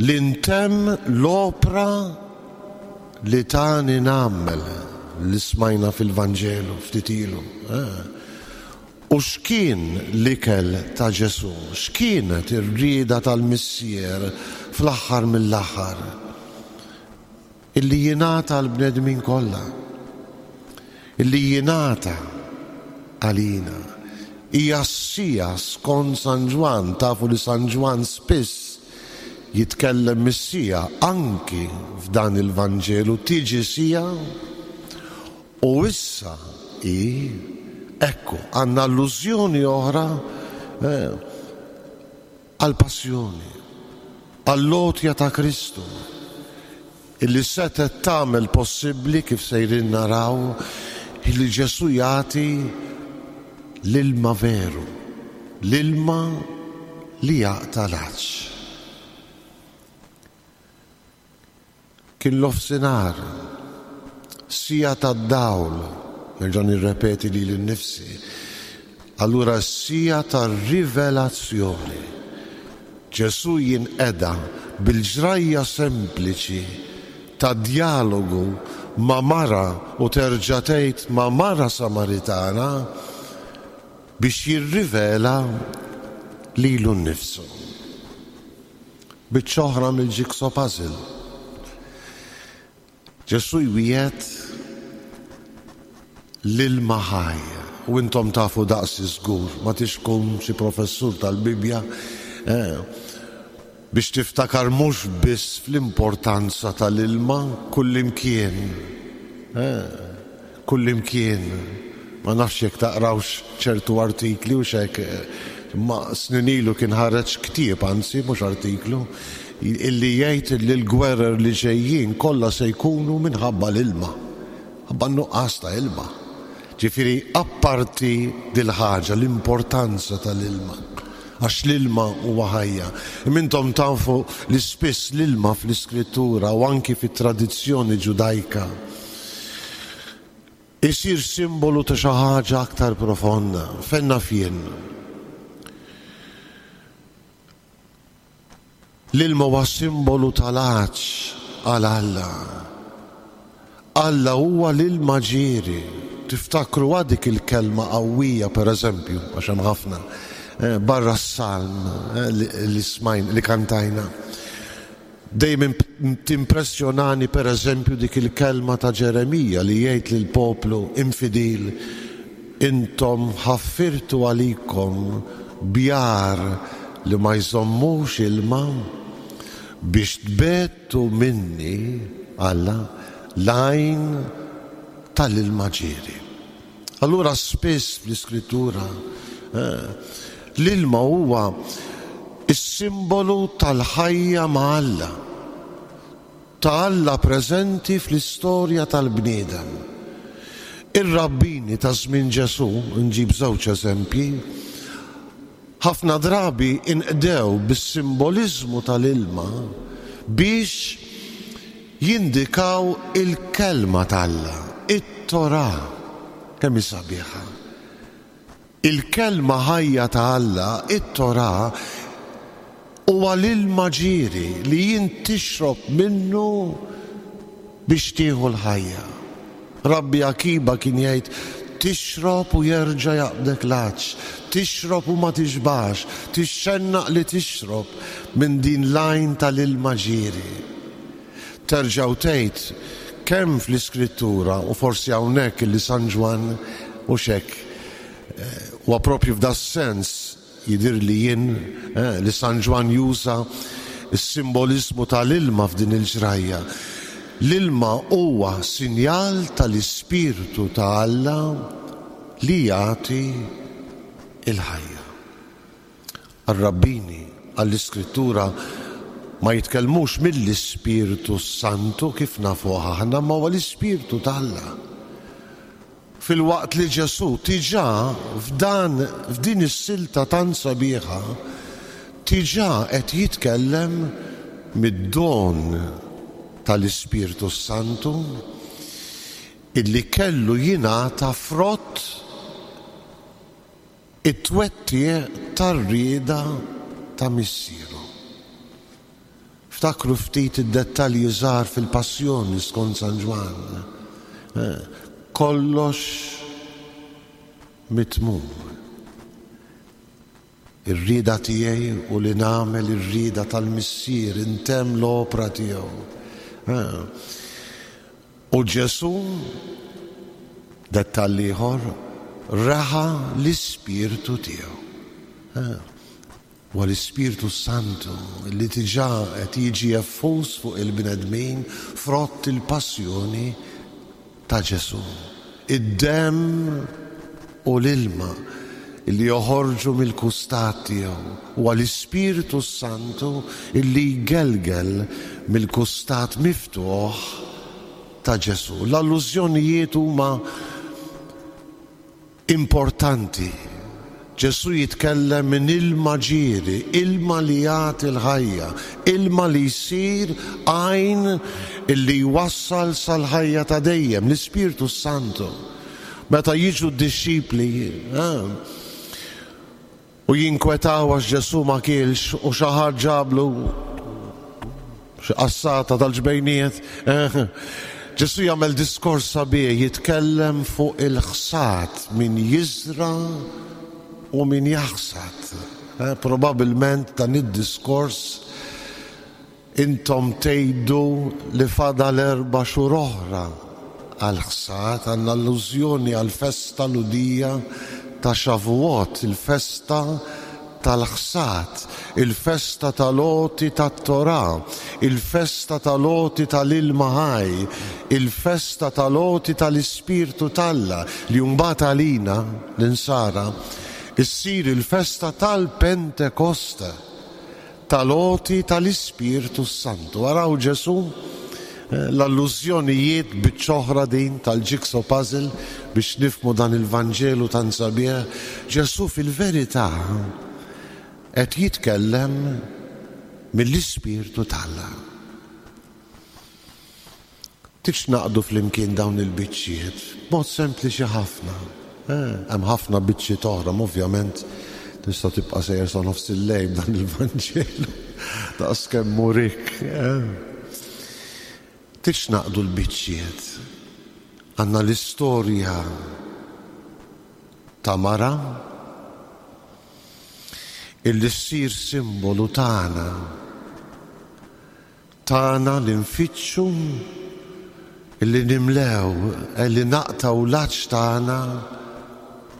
Li ntemm l-opra li tani nagħmel li smajna fil-Vanġelu ftit ilu. Eh. U x'kien l-ikel ta' Ġesù? X'kienet ir-rieda tal-missier fl-aħħar mill-aħħar? Illi jingħata l-bnedmin kollha. Illi jingħata għalina. Hija s-siegħa skont San Ġwann, tafu li San Ġwann spiss jitkellem mis-siegħa anki f'dan il-Vanġelu, tiġi siegħa u issa hi, ekku, għandna allużjoni oħra eh, għall-passjoni, għall-għotja ta' Kristu, illi setet tagħmel possibbli kif sejrin naraw illi Ġesù jagħti l-ilma veru, l-ilma li jaqta' l-għatx. Kien l-ofsinhar, siegħa tad-dawl, nerġa' nirrepeti lili nnifsi, allura s-siegħa tar-rivelazzjoni. Ġesù jinqeda bil-ġrajja sempliċi ta' dialogu ma' mara u terġa' tgħid ma' mara Samaritana biex jirrivela lilu nnifsu. Biċċa oħra mill-jigsaw puzzle. Ġesù jwiegħed l-ilma ħaj. U intom tafu daqsi żgur, ma tixkum xi professur tal-Bibja, eh, biex tiftakar mhux biss fl-importanza tal-ilma kullimkien. Eh, kullimkien. Ma nafx jekk taqrawx ċertu artikli u xek, ma snin ilu kien ħareġ ktieb, anzi mhux artiklu, illi jgħid li l-gwerer li ġejjin kollha se jkunu minħabba l-ilma. Ħabba nuqqas ta' ilma. Ġifieri apparti dil-ħaġa, l-importanza tal-ilma. Għax l-ilma huwa ħajja. Intom tafu li spiss l-ilma fl-iskrittura u anki fit-tradizzjoni ġudajka isir simbolu ta' xi ħaġa aktar profonda. Fenna fien. L-ilma huwa simbolu tal-għatx għal Alla. Alla huwa l-ilma ġieri. Tiftakru dik il-kelma qawwija, per eżempju, għax hemm ħafna, barra s-salm li smajn, li kantajna. Dejjem timpressjonani per eżempju dik il-kelma ta' Ġeremija li jgħid lill-poplu infidil, intom ħaffirtu għalikom bjar li ma jżommux ilma biex tbettu minni Alla l-għajn tal-ilma ġieri. Allura spiss fl-iskrittura eh, l-ilma huwa is-simbolu tal-ħajja ma' Alla, ta' Alla preżenti fl-istorja tal-bniedem. Ir-rabbini ta' żmien Ġesù, nġib żewġ eżempji, ħafna drabi inqdew bis-simboliżmu tal-ilma biex jindikaw il-kelma t'Alla, it-Torà. Kemm hi sabiħa. Il-kelma ħajja ta' Alla, it-Torà, huwa l-ilma ġieri li jint tixrob minnu biex tieħu l-ħajja. Rabbi Akiba kien jgħid, tixrob u jerġa' jaqbdek l-għatx, tixrob u ma tixbax, tixxennaq li tixrob minn din l-għajn tal-ilma ġieri. Terġgħu tgħid kemm fl-Iskrittura u forsi hawnhekk illi San Ġwann u xek huwa propju f'da sens jidir li jien eh, li San Ġwann juża s-simbolizmu tal-ilma f'din il-ġrajja. L-ilma huwa sinjal tal-Ispirtu ta' Alla li jagħti il-ħajja. Ar-rabbini għall-Iskrittura ma jitkellmux mill-Ispirtu Santu kif nafuh aħna, ma huwa l-Ispirtu t'Alla. Fil-waqt li Ġesù diġà f'dan f'din is-silta tant sabiħa diġà qed jitkellem mid-don tal-Ispirtu Santu illi kellu jingħata frott it-twettiq tar-rieda ta' missieru. Ftakru ftit id-dettalji żgħar fil-Passjoni skont San Ġwann. Kollox mitmum. Ir-rieda tiegħi u li nagħmel ir-rieda tal-Missier intemm l-opra tiegħu. U Ġesù, dettall ieħor, raħa l-Ispirtu tiegħu. Huwa l-Ispirtu Santu li diġà qed jiġi effuż fuq il-bnedmin frott il-passjoni ta' Ġesù. Id-demm u l-ilma li joħorġu mill-kustat tiegħu. Huwa l-Ispirtu Santu illi jgelgel mill-kustat miftuħ ta' Ġesù. L-allużjonijiet huma importanti. Ġesù jitkellem minn ilma ġieri, ilma li jagħti l-ħajja, ilma li jsir għajn illi jwassal sal-ħajja ta' dejjem, l-Ispirtu Santu. Meta jiġu d-dixxipli u jinkwetaw għax Ġesù ma kielx u xi ħadd ġablu xi qassata tal-ġbejniet, Ġesù jagħmel diskors sabiħ, jitkellem fuq il-ħsad, min jiżra u min jaħsad. Probabilment dan id-diskors intom tgħidu li fadal erba' xhur oħra għall-ħsad, għandna allużjoni għall-festa Lhudija ta' Shavuot, il-festa tal-ħsad, il-festa tal-għoti tat-Torà, il-festa tal-għoti tal-ilma ħaj, il-festa tal-għoti tal-Ispirtu t'Alla li mbagħad għalina l-insara issir il-festa tal-Pentekoste, tal-għoti tal-Ispirtu Santu. Araw Ġesù l-allużjonijiet biċ-ċoħra din tal-jigsaw puzzle biex nifmu dan il-Vanġelu tant sabiħ. Ġesù fil-verità qed jitkellem mill-Ispirtu t'Alla. Tix naqdu flimkien dawn il-biċċiet b'mod sempliċi ħafna. Hemm ħafna biċċiet oħra, ovvjament tista' tibqa' sejjer sa nofs il-lejl dan il-Vanġelu daqs kemm murik. Tix naqdu l-biċċiet. Għandna l-istorja ta' mara illi ssir simbolu tagħna, tagħna li nfittxu, illi nimlew, illi naqtaw l-għatx tagħna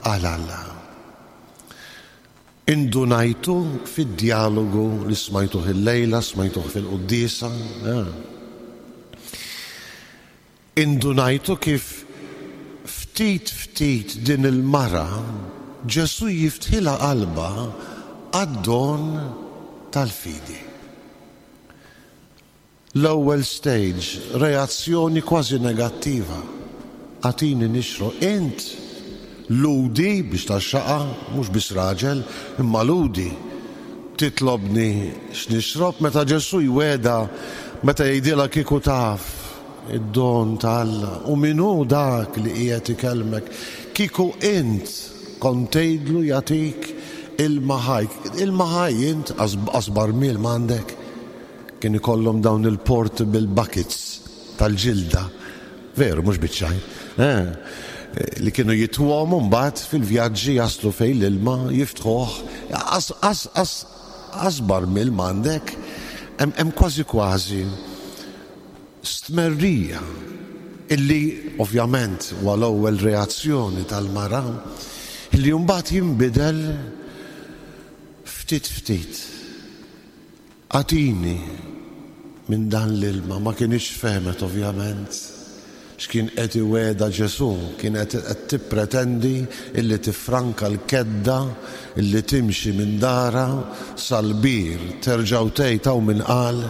għal Alla. Indunajtu fid-dialogu li smajtuh il-lejla, smajtuh fil-quddiesa. Indunajtu kif ftit ftit din il-mara Ġesù jiftħilha qalbha għad-don tal-fidi. L-ewwel stage, reazzjoni kważi negattiva. Agħtini nixrob. Int Lhudi biex taxxaqa, mhux biss raġel, imma Lhudi. Titlobni x'nixrob meta Ġesù jwegħda, meta jgħidilha kieku taf id-don ta' Alla u min hu dak li qiegħed ikellmek, kieku int kont tgħidlu jagħtik ilma ħaj. Ilma ħaj int qas barmil m'għandek. Kien ikollhom dawn il-portable buckets tal-ġilda. Veru, mhux biċ-ċajt. Eh, li kienu jitwhom mbagħad fil-vjaġġi jaslu fejn l-ilma jiftħuh. Qas qas qas qas barmil m'għandek. Hemm kważi kważi stmerrija illi ovvjament huwa l-ewwel reazzjoni tal-mara illi mbagħad jinbidel ftit ftit. Agħtini minn dan l-ilma, ma kienx fehmet ovvjament x'kien qed iwegħda Ġesù, kienet qed tippretendi illi tifranka l-kedda illi timxi minn dara sal-bir, terġa' tgħid hawn min qal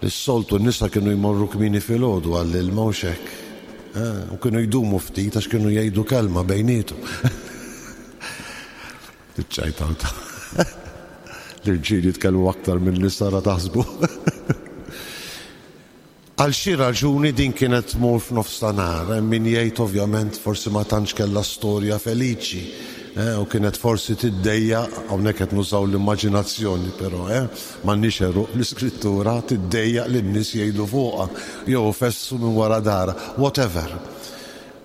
li s-soltu n-nisa kienu jmorru kmieni filgħodu għall-ilma u hekk. U kienu jdumu ftit għax kienu jgħidu kelma bejnietu. Iċċajtaw ta' l-irġiel jitkellmu aktar minn nisa ra taħsbu. Għal xi raġuni din kienet tmur f'nofs ta' nhar, hemm min jgħid ovvjament forsi ma tantx kellha storja feliċi, eh, u kienet forsi tiddejjaq, hawnhekk qed nużaw l-immaġinazzjoni però, eh, m'għandniex għeruq l-iskrittura, tiddejjaq li n-nies jgħidu fuqha jew fessu minn wara dara, whatever.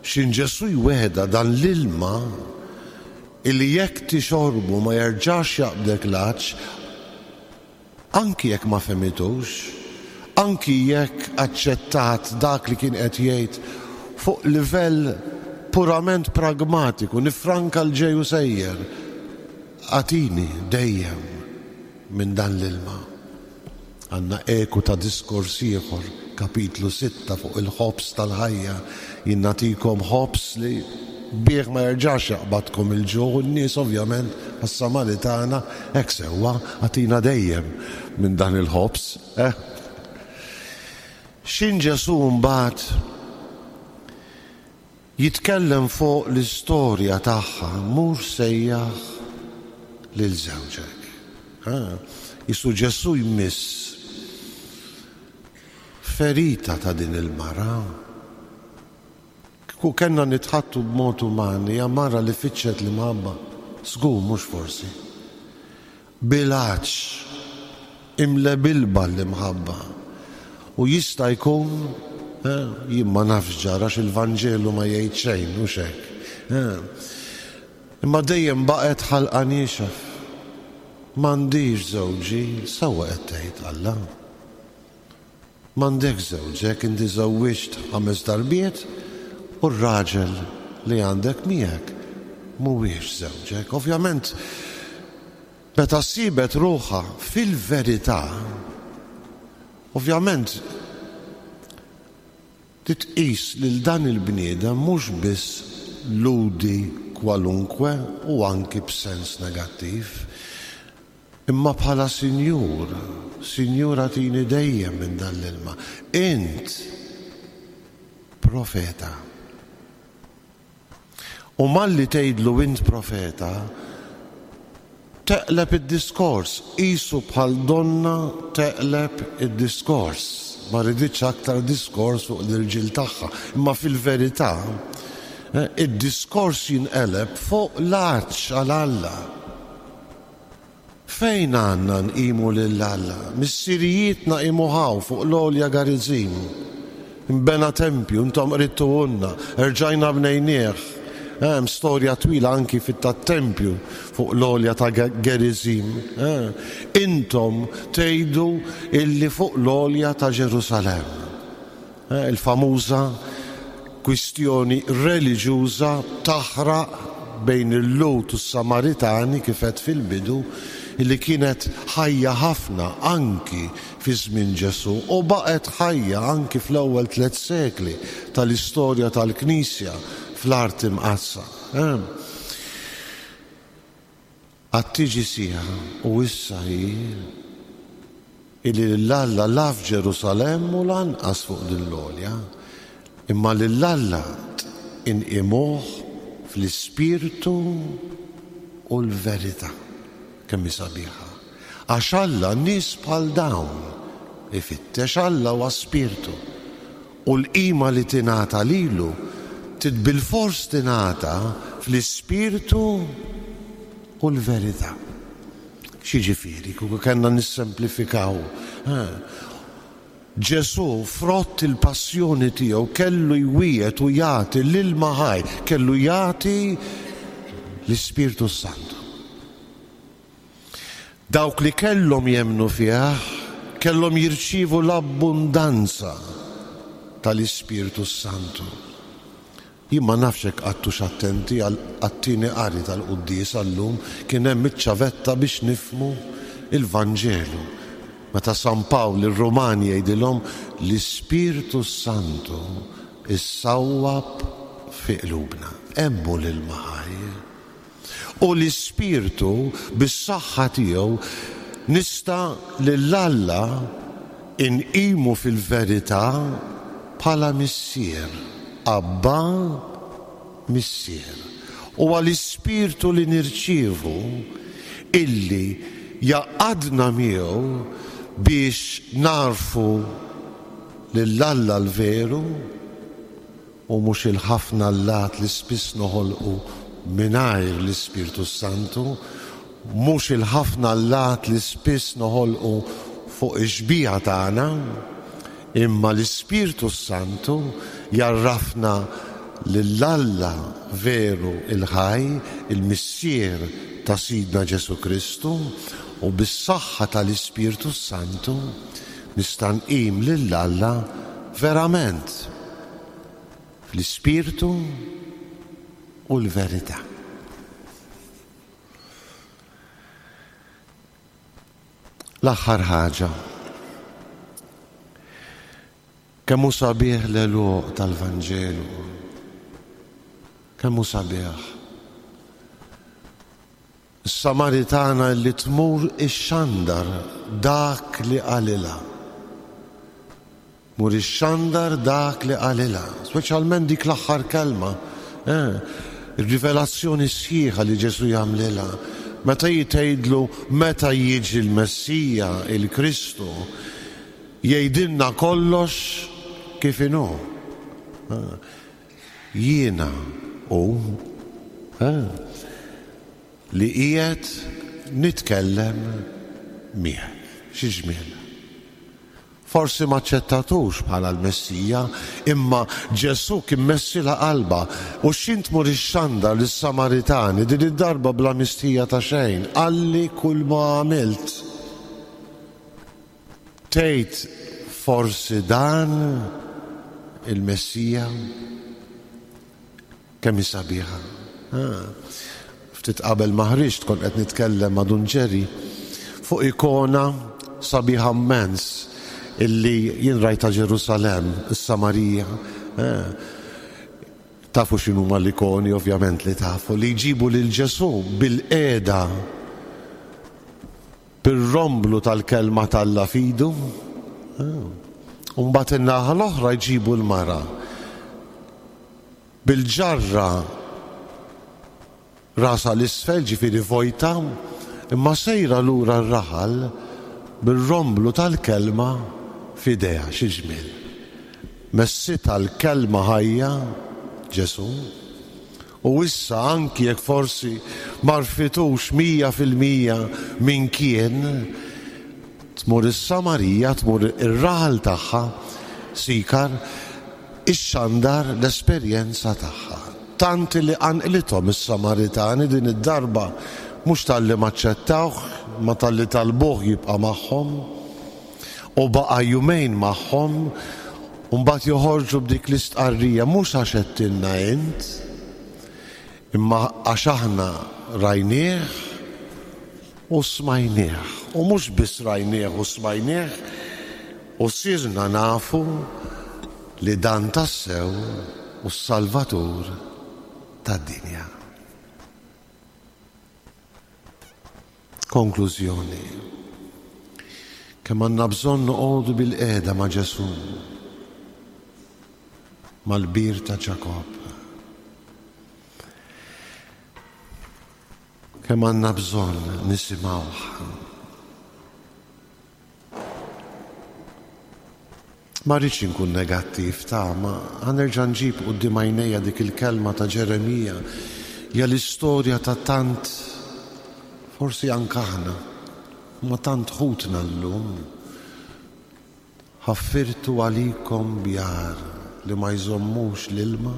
X'ħin Ġesù jwegħda dan l-ilma illi jekk tixorbu ma jerġax jaqbdek l-għatx, anki jekk ma fehmitux, anki jekk aċċettat dak li kien qed jgħid fuq livell purament pragmatiku, nifranka l-ġej u sejjer, agħtini dejjem minn dan l-ilma. Għandna eku ta' diskors ieħor, kapitlu sitta fuq il-ħobż tal-ħajja, jien nagħtikom ħobż li bih ma jerġax jaqbadkom il-ġuħ, u n-nies ovvjament għas-Samaritana hekk sewwa, agħtina dejjem minn dan il-ħobż. Eh? X'ħin Ġesù mbagħad jitkellem fuq l-istorja tagħha, mur sejjaħ lil żewġek. Qisu Ġesù jmiss ferita ta' din il-mara. Kieku kellna nitħaddtu b'mod uman, hija mara li fittxet l-imħabba, żgur mhux forsi. Bil-għatx, imlebilba l-imħabba. U jista' jkun, eh, jien ma nafx ġara il-Vanġelu ma jgħid xejn, u hekk. Eh. Imma dejjem baqgħet ħalqa niexef. M'għandix żewġi, sewwa qed tgħid Alla. M'għandek żewġek, inti żewwiġt ħames darbiet u r-raġel li għandek miegħek mhuwiex żewġek. Ovvjament, meta sibet ruħha fil-verità, ovvjament titqis lil dan il-bniedem mhux biss Lhudi kwalunkwe u anki b'sens negattiv, imma bħala sinjur, sinjur agħtini dejjem minn dan l-ilma. Int profeta. U malli tgħidlu int profeta, teqleb id-diskors, qisu bħal donna teqleb id-diskors. Ma riditx aktar diskors fuq l-irġiel tagħha, imma fil-verità eh, id-diskors jinqeleb fuq l-għatx għal Alla. Fejn għandna nqimu lil Alla? Missirijietna qimuh fuq l-għolja Garizim. Imbena tempju, intom qridtuhulna, erġajna bnejnieh. Hemm storja twila anki fit-tempju fuq l-għolja ta' Gerizim. Eh, intom tgħidu illi fuq l-għolja ta' Ġerusalemm. Eh, il-famuża kwistjoni reliġjuża taħraq bejn il-Lhud u s-Samaritani kif għedt fil-bidu, illi kienet ħajja ħafna anki fi żmien Ġesù u baqgħet ħajja anki fl-ewwel tliet sekli tal-istorja tal-Knisja fl-art imqaddsa. Għad tiġi siegħa u issa hi illi lil Alla la f'Ġerusalemm u lanqas fuq din l-għolja, imma lil Alla inqimuh fl-ispirtu u l-verità. Kemm hi sabiħa. Għax Alla nies bħal dawn ifittex. Alla huwa spirtu. U l-qima li tingħata lilu trid bilfors tingħata fl-ispirtu u l-verità. X'jiġifieri, kieku kellna nissemplifikaw? Ġesù, frott il-passjoni tiegħu, kellu jwiegħed u jagħti l-ilma ħaj, kellu jagħti l-Ispirtu Santu. Dawk li kellhom jemmnu fih kellhom jirċievu l-abbundanza tal-Ispirtu Santu. Jien ma nafx hekk qgħadtux attenti għat-tieni qari tal-quddiesa llum, kien hemm iċ-ċavetta biex nifhmu il-Vanġelu. Meta San Pawl ir-Rumani jgħidilhom l-Ispirtu Santu issawwab fi qlubna. Hemm hu l-ilma ħaj. U l-Ispirtu bis-saħħa tiegħu nista' lil Alla inqimu fil-verità bħala missier. Abba, Missier. U għall-Ispirtu li nirċievu illi jgħaqqadna miegħu biex nagħrfu lil Alla l-veru u mhux il-ħafna allat li spiss noħolqu mingħajr l-Ispirtu Santu, mhux il-ħafna allat li spiss noħolqu fuq ix-xbieha tagħna, imma l-Ispirtu Santu jgħarrafna lil Alla veru il-ħaj, il-Missier ta' Sidna Ġesù Kristu, u bis-saħħa tal-Ispirtu Santu nista' nqim lil Alla verament fl-Ispirtu u l-verità. L-aħħar ħaġa. Kemm hu sabiħ l-għeluq tal-Vanġelu. Kemm hu sabiħ. Is-Samaritana li tmur ixxandar dak li qalilha. Mur ixxandar dak li qalilha, speċjalment dik l-aħħar kelma. Eh, ir-rivelazzjoni sħiħa li Ġesù jagħmlilha. Meta jgħidlu meta jiġi l-Messija, il-Kristu, jgħidilna kollox kif inhu. Jiena hu li qiegħed nitkellem miegħek. Xi ġmiel. Forsi ma aċċettatux bħala l-Messija, imma Ġesù kien messilha qalbha u x'int tmur ixxandar lis-Samaritani din id-darba bla mistħija ta' xejn, qalli kull ma għamilt. Tgħid forsi dan il-Messija? Kemm hi sabiħa. Ftit qabel ma ħriġt kont qed nitkellem ma' Dun Ġeri fuq ikona sabiħa immens illi jien rajta Ġerusalemm, is-Samarija. Tafu x'inhuma l-ikoni, ovvjament li tafu, li jġibu lil Ġesù bil-qiegħda bir-romblu tal-kelma t'Alla f'idu. U mbagħad in-naħa l-oħra jġibu l-mara bil-ġarra rasha l-isfel, ġifieri vojta, imma sejra lura r-raħal bir-romblu tal-kelma f'idejha. Xi ġmiel. Messitha l-kelma ħajja Ġesù, u issa anki jekk forsi ma rfitux mija fil-mija min kien, tmur is-Samarija, tmur ir-raħal tagħha, Sikar, ixxandar l-esperjenza tagħha. Tant li qanqlithom is-Samaritani din id-darba, mhux talli m'aċċettawh, ma talli talbuh jibqa' magħhom, u baqa' jumejn magħhom, u mbagħad joħorġu b'dik l-istqarrija, mhux għax għedtilna int, imma għax aħna rajnieh u smajnieh. U mhux biss rajnieh u smajnieh, u sirna nafu li dan tassew u s-Salvatur tad-dinja. Konklużjoni. Kemm għandna bżonn noqogħdu bil-qiegħda ma' Ġesù, mal-bir ta' Ġakobb. Kemm għandna bżonn nisimgħuh. Ma rridx inkun negattiv ta' ma ħa nerġa' nġib quddiem għajnejja dik il-kelma ta' Ġeremija, hija l-istorja ta' tant, forsi anke aħna, ma tant ħutna llum. Ħaffirtu għalikom bjar li ma jżommux l-ilma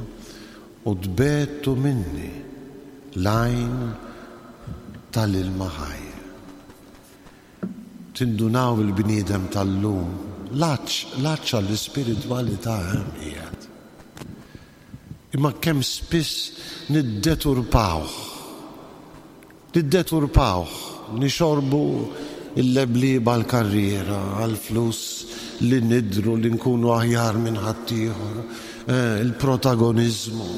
u tbegħtu minni l-għajn tal-ilma ħaj. Tindunaw il-bniedem tal-lum, l-għatx, l-għatx għall-ispiritwalità hemm qiegħed. Imma kemm spiss niddeturpawh, niddeturpawh, nixorbu il-leblieba għall-karriera, għall-flus, li nidru li nkunu aħjar minn ħaddieħor, eh, il-protagoniżmu.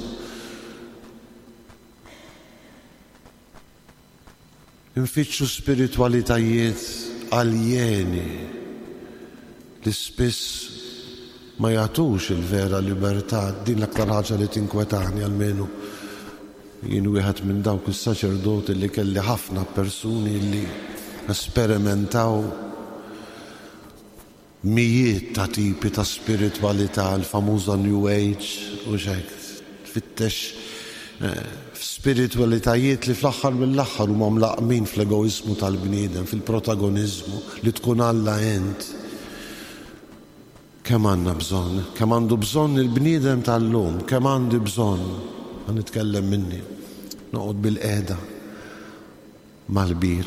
Nfittxu spiritwalitajiet aljeni li spiss ma jagħtux il-vera libertà. Din l-aktar ħaġa li tinkwetani, almenu jien wieħed minn dawk is-saċerdoti li kelli ħafna persuni li esperimentaw mijiet ta' tipi ta' spiritwalità, l-famuża New Age u xek, tfittex spiritualitajiet li fl-aħħar mill-aħħar huma mlaqmin fl-egoiżmu tal-bniedem, fil-protagoniżmu li tkun Alla ent. Kemm għandna bżonn, kemm għandu bżonn il-bniedem tal-lum, kemm għandi bżonn, ħa nitkellem minni, noqgħod bil-qiegħda mal-bir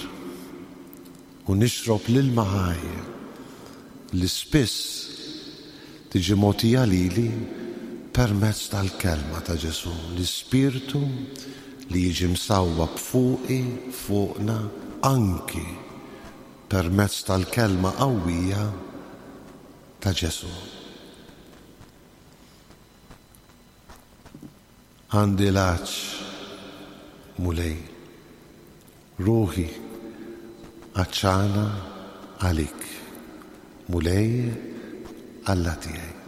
u nixrob l-ilma ħaj li spiss tiġi mogħtija lili permezz tal-kelma ta' Ġesù, l-Ispirtu li jiġi msawwab fuqi, fuqna, anki permezz tal-kelma qawwija ta' Ġesù. Għandi l-għatx, Mulej, ruħi għatxana għalik, Mulej Alla tiegħi.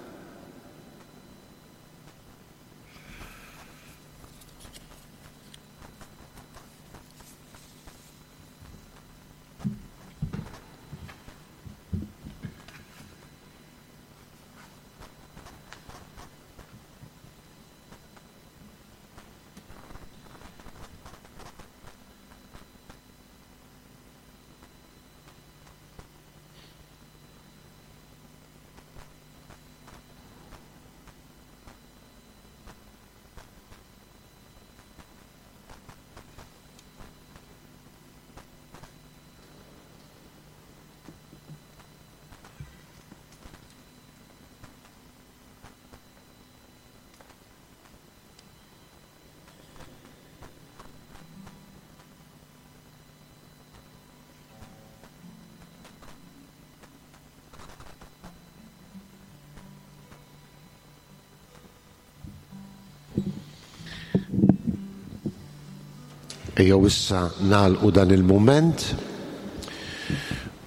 Ejjew issa nagħlqu dan il-mument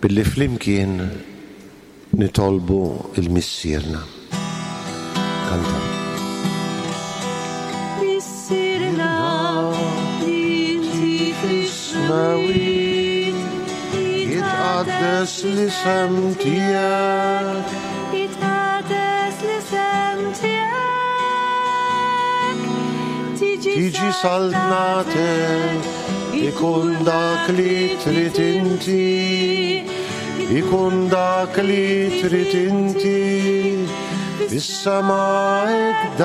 billi flimkien nitolbu il-Missierna. Kanta. Missierna li inti fis-smewwiet, jitqaddes l-isem tiegħek, jitqaddes l-isem tiegħek, tiġi saltnatek, ikun dak li trid inti, ikun dak li trid inti, fis-sema hekk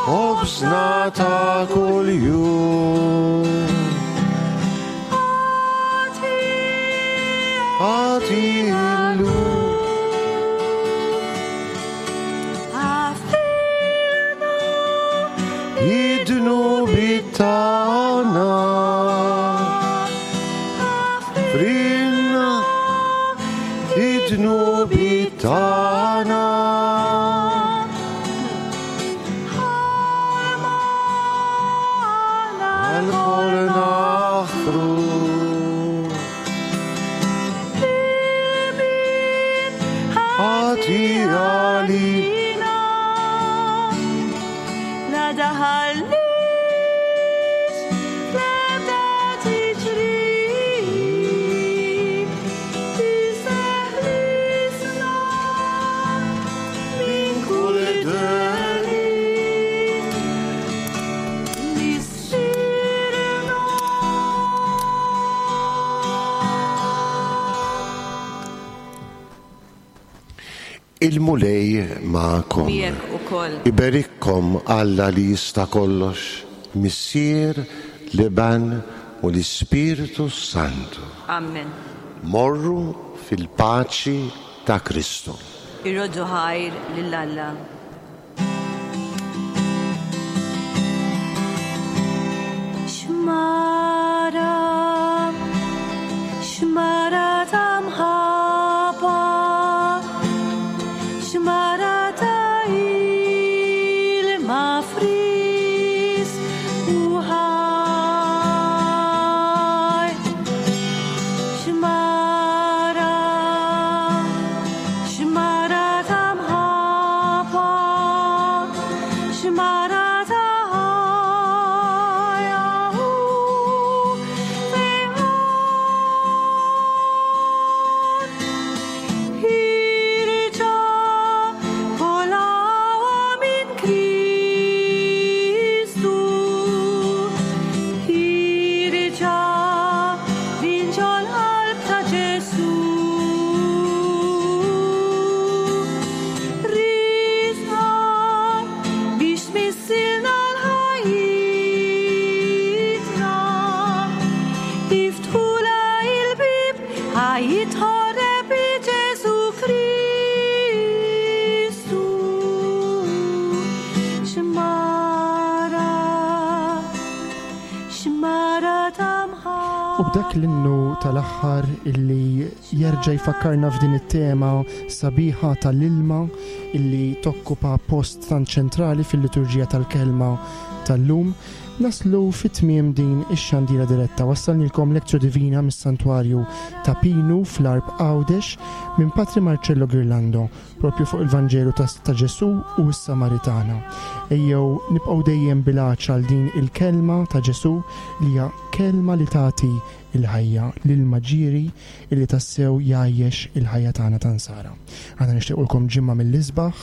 ħobżna ta' kuljum. Agħti llum. Id-dnubiet tagħna, frilna id-dnubiet tagħna. Għal-kol naħfru. Agħti għalina. Il-Mulej magħkom. Miegħek ukoll. Iberikkom Alla li jista' kollox, Missier, l-Iben u l-Ispirtu Santu. Amen. Morru fil-paċi ta' Kristu. Irroddu ħajr lil Alla. Xmara, xmara ta' mħabba, xmara ta' ilma frisk u ħaj. Xmara, xmara ta' mħabba, xmara ta' ħajja u fejqan. Ħierġa kollha minn Kristu, ħierġa minn ġol-qalb ta' Ġesù. Riżqa biex tmissilna l-ħajjitna, iftħula il-bib ħa jitħorreb Ġesù Kristu. Xmara, xmara ta' U b'dak l-innu tal-aħħar illi jerġa' jfakkarna f'din it-tema sabiħa tal-ilma illi tokkupa post tant ċentrali fil-liturġija tal-kelma tal-lum, naslu fit-tmiem din ix-xandira diretta. Wassalnilkom Lectio Divina mis-Santwarju ta' Pinu fl-Għarb Għawdex minn Patri Marcello Ghirlando, propju fuq il-Vanġelu ta' ta' Ġesù u s-Samaritana. Ejjew nibqgħu dejjem bil-għatx għal din il-kelma ta' Ġesù li hija kelma li tagħti il-ħajja, l-ilma ġieri illi tassew jgħajjex il-ħajja tagħna ta' Nsara. Aħna nixtiequlkom ġimgħa mill-isbaħ,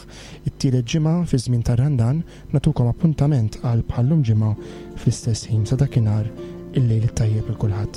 it-tielet ġimgħa fi żmien tar-Randan, nagħtukom appuntament għal bħallum ġimgħa fl-istess ħin. Sa dakinhar il-lejl it-tajjeb il kulħadd.